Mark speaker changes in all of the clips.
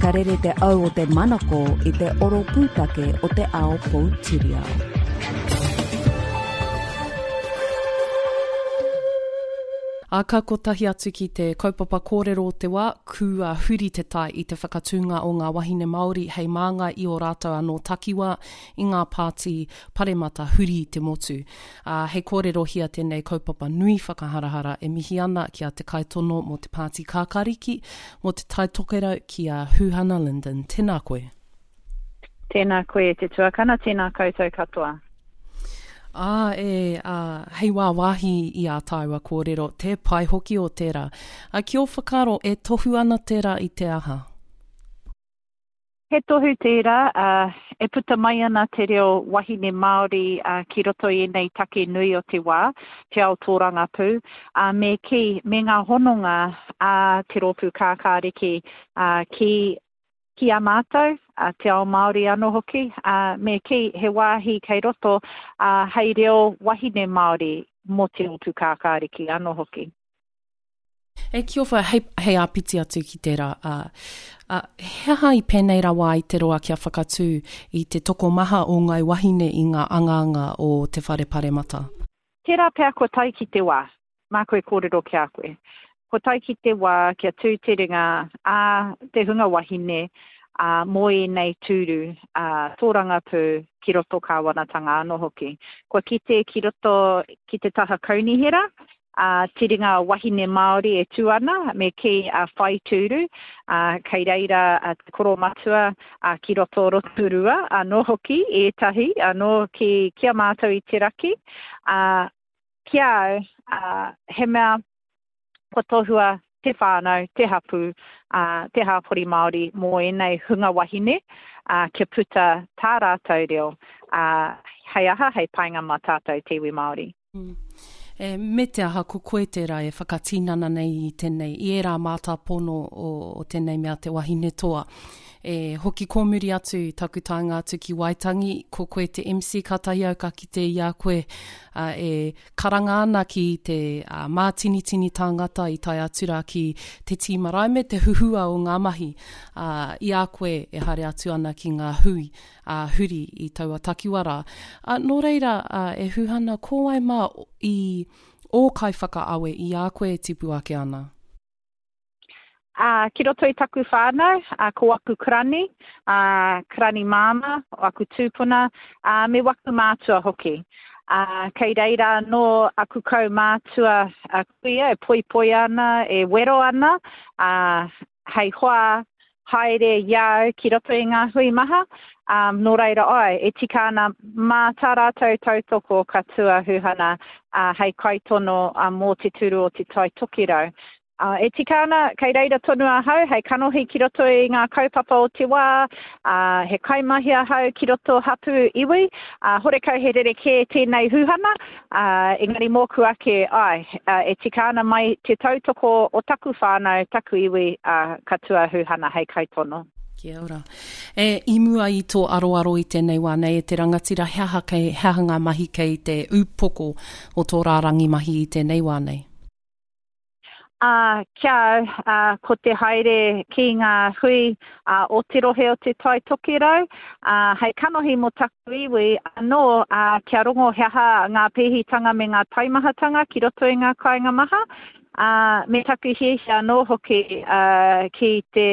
Speaker 1: Ka rere te au o te manako i te oro pūtake o te ao poutiriao.
Speaker 2: Ā, ka kotahi atu ki te kaupapa kōrero o te wā, kua huri te tai i te whakatūnga o ngā wahine Māori hei māngai i ō rātou anō takiwā i ngā pāti paremata huri i te motu. Ā, hei kōrerohia tēnei kaupapa nui whakaharahara e mihi ana ki a Te Kaitono mō te Pāti Kākāriki, mō Te Tai Tokerau ki a Huhana Lyndon. Tēnā koe.
Speaker 3: Tēnā koe e te tuakana, tēnā koutou katoa.
Speaker 2: Ā, e, ā, hei wāwāhi i ā tāua kōrero, tē pai hoki o tērā. Ā, ki ō whakaaro, e tohu ana tērā i te aha?
Speaker 3: He tohu tērā, ā, e puta mai ana te reo wahine Māori ki roto i ēnei take nui o te wā, te ao tōrangapū, ā, me kī, me ngā hononga a Te Rōpū Kākāriki, ā, ki, ki a mātou, ā, te ao Māori anō hoki, ā, me kī, he wāhi kei roto, ā, hei reo wahine Māori mō Te Rōpū Kākāriki anō hoki.
Speaker 2: E Kiofa, hei, hei āpiti atu ki tērā, ā, ā, he aha i pēnei rawa ai te roa kia whakatū i te tokomaha o ngāi wahine i ngā angaanga o te whare paremata?
Speaker 3: Tērā pea kua tae ki te wā, māku e kōrero ki a koe. Kua tae ki te wā kia tū te ringa a te hunga wahine, ā, mō ēnei tūru, ā, tōrangapū ki roto kāwanatanga anō hoki. Kua kite ki roto ki te taha kaunihera, a te ringa wahine Māori e tū ana, me kī a whai tūru, ā, kei reira a te koromatua a ki roto Rotorua anō hoki ētahi anō ki, ki a mātou i te raki. Ā, ki a au, ā, he mea kua tohua te whānau, te hapū, ā, te hāpori Māori mō ēnei hunga wahine, ā, kia puta tā rātou reo, ā, hei aha, hei painga mā tātou te iwi Māori.
Speaker 2: E, me te aha, ko koe tērā e whakatinana nei i tēnei, i ērā mātāpono o, o tēnei mea te wahine toa. E hoki kōmuri atu taku taenga atu ki Waitangi, ko koe te MC, kātahi au ka kite i a koe a, e karanga ana ki te a, mātinitini tāngata i tae atu rā ki te tīma rae me te huhua o ngā mahi a, i a koe e haere atu ana ki ngā hui ā, huri i taua takiwa rā. Ā, nō reira, ā, e Huhana, ko wai mā i ō kaiwhakaawe i a koe e tipu ake ana?
Speaker 3: Ā, ki roto i taku whānau, ā, ko aku karani, ā, karani māmā, o aku tūpuna, ā, me waku mātua hoki. Ā, kei reira anō aku kaumātua, ā, kuia e poipoia ana, e wero ana, ā, hei hoa haere i a au ki roto i ngā hui maha, ā, nō reira āe, e tika ana mā tā rātou tautoko ka tū a Huhana, ā, hei kaitono, ā, mō te tūru o Te Tai Tokerau. Ā, e tika ana, kei reira tonu ahau hei kanohi ki roto i ngā kaupapa o te wā, ā, he kaimahi ahau ki roto hapū iwi, ā, horekau he rerekē tēnei Huhana, Ā, engari mōku ake, āe, ā, e tika ana mai te tautoko o taku whānau, taku iwi, ā, ka tū a Huhana hei kaitono.
Speaker 2: Kia ora. E, i mua i tō aroaro i tēnei wā nei, e te rangatira, he aha kei, he aha ngā mahi kei te ūpoko o tō rārangi mahi i tēnei wā nei?
Speaker 3: Ā, ki a au, ā, ko te haere ki ngā hui, ā, o te rohe o Te Tai Tokerau, ā, hei kanohi mō taku iwi anō, ā, kia rongo he aha ngā pēhitanga me ngā taimahatanga ki roto i ngā kāinga maha, ā, me taku hiahia anō hoki, ā, ki te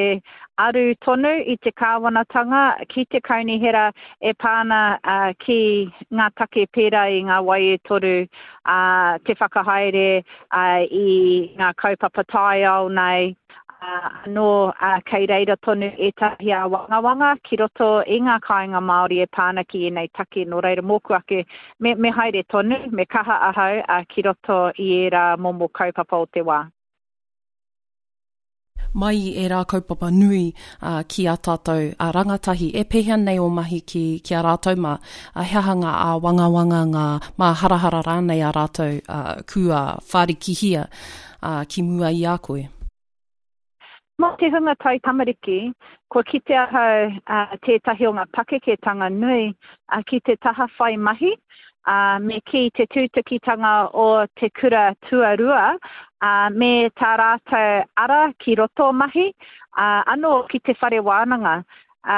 Speaker 3: aru tonu i te kāwanatanga ki te kaunihera e pā ana, ā, ki ngā take pērā i ngā wai e toru, ā, te whakahaere, ā, i ngā kaupapa taiao nei, ā, anō, ā, kei reira tonu ētahi āwangawanga ki roto i ngā kāinga Māori e pā ana ki ēnei take, nō reira mōku ake, me, me haere tonu, me kaha ahau, ā, ki roto i ērā momo kaupapa o te wā.
Speaker 2: Mai i ērā kaupapa nui ki ā tātou rangatahi, e pēhea nei ō mahi ki, ki a rātou mā? He aha ngā āwangawanga, ngā māharahara rānei a rātou kua whārikihia ki mua i a koe?
Speaker 3: Mō te hunga taitamariki, kua kite ahau tētahi o ngā pakeketanga nui ki te taha whai mahi, ā, me kī te tūtukitanga o te kura tuarua, ā, me tā rātou ara ki roto mahi, Ā, anō ki te whare wānanga, ā,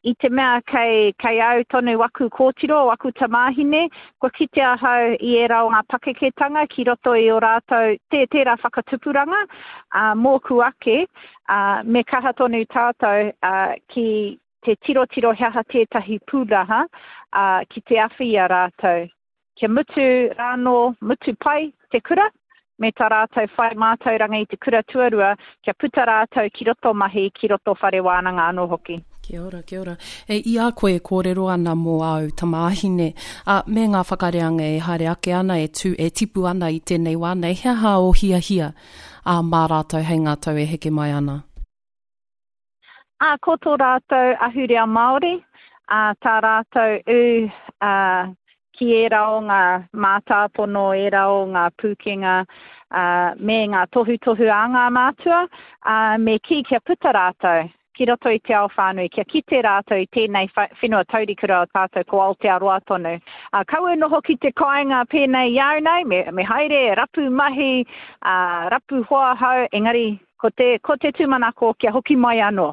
Speaker 3: i te mea kei, kei au tonu waku kōtiro, waku tamāhine, kua kite ahau i ērā o ngā pakeketanga ki roto i ō rātou, tē, tērā whakatupuranga, ā, mōku ake, ā, me kaha tonu tātou, ā, ki te tirotiro he aha tētahi pūnaha, ā, ki te awhi i a rātou. Kia mutu rānō, mutu pai te kura, me tā rātou whai mātauranga i te kura tuarua, kia puta rātou ki roto mahi, ki roto whare wānanga anō hoki.
Speaker 2: Kia ora, kia ora. E, i a koe e kōrero ana mō āu tamāhine, ā, me ngā whakareanga e haere ake ana, e tū, e tipu ana i tēnei wā nei, he aha ō hiahia, ā, mā rātou hei ngā tau e heke mai ana?
Speaker 3: Ā, ko tō rātou ahurea Māori, ā, tā rātou ū, ā, ki ērā o ngā mātāpono, ērā o ngā pūkenga, ā, me ngā tohutohu a ngā mātua, ā, me kī kia puta rātou ki roto i te ao whānui, kia kite rātou i tēnei whenua taurikura o tātou ko Aotearoa tonu. Ā, kaua e noho ki te kāinga pēnei i a au nei, me, me haere, rapu mahi, ā, rapu hoa hou, engari Ko te, ko te tūmanako kia hoki mai anō.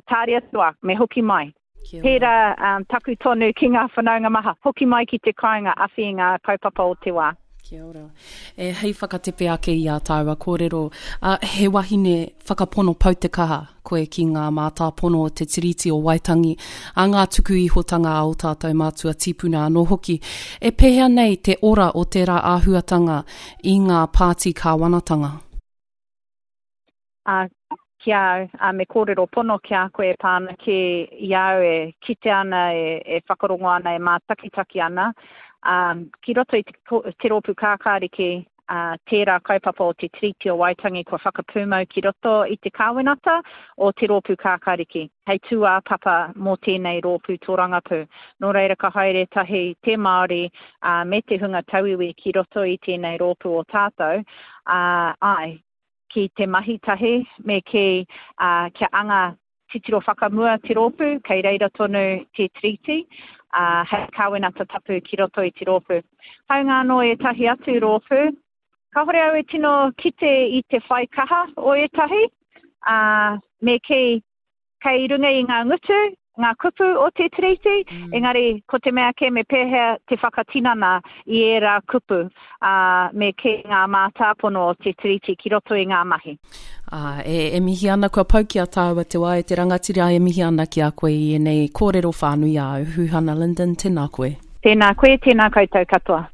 Speaker 3: Tāria atu a, me hoki mai. Kia ora. Pērā um, taku tonu ki ngā whanaunga maha, hoki mai ki te kāinga awhi i ngā kaupapa o te wā.
Speaker 2: Kia ora. E, hei whakatepe ake i ā tāua kōrero, a, he wahine whakapono pau te kaha koe ki ngā mātāpono o te Tiriti o Waitangi, a ngā tuku ihotanga a ō tātou mātua tīpuna anō hoki. E pēhea nei te ora o tērā āhuatanga i ngā pāti kāwanatanga?
Speaker 3: Ā, ki a au, ā, me kōrero pono ki a koe e pā ana ki i a au e kite ana, e, e whakarongo ana, e mātakitaki ana, ā, ki roto i te, te rōpū kākāriki, ā, tērā kaupapa o te Tiriti o Waitangi kua whakapūmau ki roto i te kāwenata o te rōpū kākāriki, hei tūāpapa mō tēnei rōpū tōrangapū. Nō reira ka haere tahi te Māori, ā, me te hunga tauiwi ki roto i tēnei rōpū o tātou, ā, āe, ki te mahi tahi, me kī, ā, kia anga titiro whakamua te rōpū, kei reira tonu te Tiriti, ā, hei kāwenata tapu ki roto i te rōpū. Hāunga anō ētahi atu rōpū, kāhore au e tino kite i te whai kaha o ētahi, ā, me kī, kei runga i ngā ngutu, ngā kupu o te Tiriti, mm. engari ko te mea kē me pēhea te whakatinana i ērā kupu, ā, me kī ngā mātāpono o te Tiriti ki roto i ngā mahi.
Speaker 2: Ā, e, e mihi ana kua pau ki a tāua te wā e te rangatira e mihi ana ki a koe i ēnei kōrero whānui āu. Huhana Lyndon, tēnā koe.
Speaker 3: Tēnā koe, tēnā koutou katoa.